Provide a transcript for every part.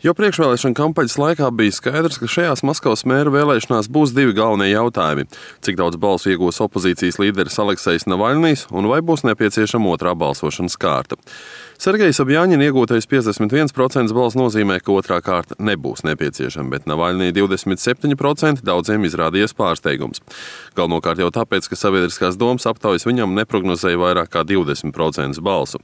Jo priekšvēlēšana kampaņas laikā bija skaidrs, ka šajās Maskavas mēra vēlēšanās būs divi galvenie jautājumi – cik daudz balsu iegūs opozīcijas līderis Aleksejs Navaļnijs un vai būs nepieciešama otrā balsošanas kārta. Sergeja Sobjaņina iegūtais 51% balsu nozīmē, ka otrā kārta nebūs nepieciešama, bet Navaļnija 27% daudziem izrādījies pārsteigums. Galvenokārt jau tāpēc, ka sabiedriskās domas aptaujas viņam neprognozēja vairāk kā 20% balsu.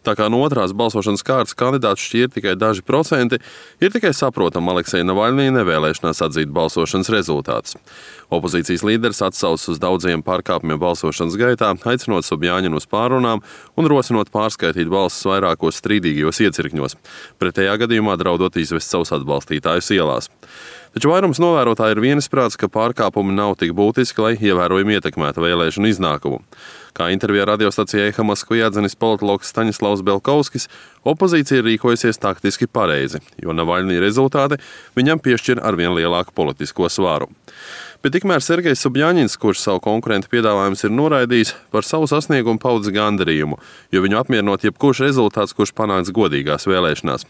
Tā kā no otrās balsošanas kārtas kandidātu šķir tikai daži procenti, ir tikai saprotama Alekseja Navaļnija nevēlēšanās atzīt balsošanas rezultātus. Opozīcijas līderis atsaucas uz daudziem pārkāpumiem balsošanas gaitā, aicinot Sobjaņinu uz pārrunām un rosinot pārskaitīt balsis vairākos strīdīgajos iecirkņos, pretējā gadījumā draudot izvest savus atbalstītājus ielās. Taču vairums novērotāji ir vienisprāts, ka pārkāpumi nav tik būtiski, lai ievērojami ietekmētu vēlēšanu iznākumu. Kā intervijā radiostacijai EHA Moskvā atzinis politologs Staņislavs Belkovskis, opozīcija ir rīkojusies taktiski pareizi, jo Navaļnija rezultāti viņam piešķir arvien lielāku politisko svaru. Bet tikmēr Sergejs Sobjaņins, kurš savu konkurentu piedāvājumus ir noraidījis, par savu sasniegumu paudis gandarījumu, jo viņu apmierinot jebkurš rezultāts, kurš panāks godīgās vēlēšanās.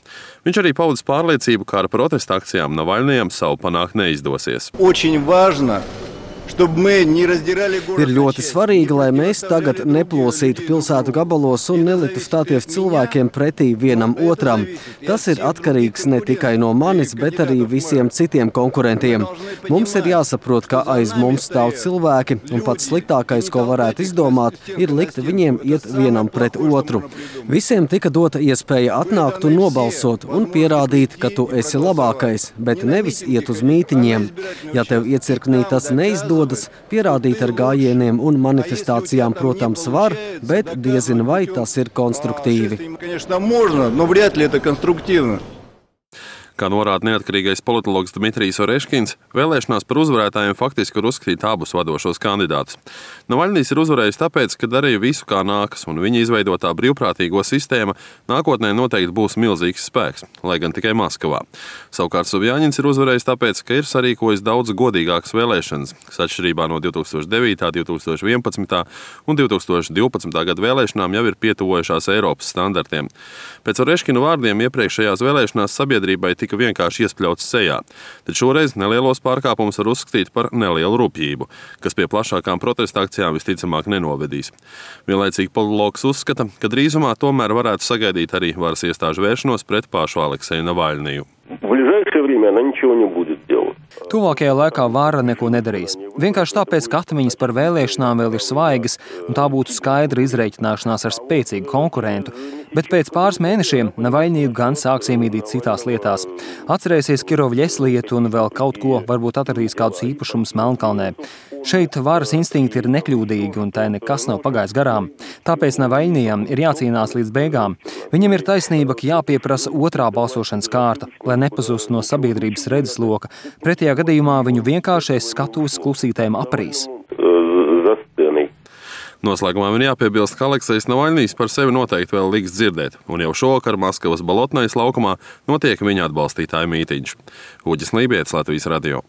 Viņš arī paudis pārliecību, ka ar protesta akcijām Navaļnijam savu panākt neizdosies. Ir ļoti svarīgi, lai mēs tagad neplosītu pilsētu gabalos un neliktu stāties cilvēkiem pretī vienam otram. Tas ir atkarīgs ne tikai no manis, bet arī visiem citiem konkurentiem. Mums ir jāsaprot, ka aiz mums stāv cilvēki, un pats sliktākais, ko varētu izdomāt, ir likt viņiem iet vienam pret otru. Visiem tika dota iespēja atnākt un nobalsot un pierādīt, ka tu esi labākais, bet nevis iet uz mītiņiem. Ja tev iecirknī tas neizdodas, pierādīt ar gājieniem un manifestācijām, protams, var, bet diezin vai tas ir konstruktīvi. Kā norāda neatkarīgais politologs Dmitrijs Oreškins, vēlēšanās par uzvarētājiem faktiski var uzskatīt abus vadošos kandidātus. Navaļnijs ir uzvarējis tāpēc, ka darīja visu kā nākas, un viņa izveidotā brīvprātīgo sistēma nākotnē noteikti būs milzīgs spēks, lai gan tikai Maskavā. Savukārt Sobjaņins ir uzvarējis tāpēc, ka ir sarīkojis daudz godīgākas vēlēšanas, kas atšķirībā no 2009., 2011. un 2012. gada vēlēšanām jau ir pietuvojušās Eiropas standartiem. Pēc Oreškina vārdiem iepriekšējās vēlēšanās sabiedrībai tika vienkārši iespļauts sejā, tad šoreiz nelielos pārkāpumus var uzskatīt par nelielu rupjību, kas pie plašākām protesta akcijām visticamāk nenovedīs. Vienlaicīgi politologs uzskata, ka drīzumā tomēr varētu sagaidīt arī varas iestāžu vēršanos pret pašu Alekseju Navaļniju. Tuvākajā laikā vāra neko nedarīs. Vienkārši tāpēc, ka atmiņas par vēlēšanām vēl ir svaigas, un tā būtu skaidra izreikināšanās ar spēcīgu konkurentu. Bet pēc pāris mēnešiem Navaļniju gan sāks iemīdīt citās lietās. Atcerēsies Kirovļes lietu un vēl kaut ko, varbūt atradīs kādus īpašumus Melnkalnē. Šeit varas instinkti ir nekļūdīgi, un tai nekas nav pagājis garām. Tāpēc Navaļnijam ir jācīnās līdz beigām. Viņam ir taisnība, ka jāpieprasa otrā balsošanas kārta, lai nepazustu no sabiedrības redzesloka. Pretējā gadījumā viņu vienkāršais skatuves klusītēm aprīs. Noslēgumā man jāpiebilst, ka Aleksejs Navaļnijs par sevi noteikti vēl liks dzirdēt, un jau šovakar Maskavas Bolotnajas laukumā notiek viņa atbalstītāju mītiņš. Uģis Lībietis, Latvijas radio.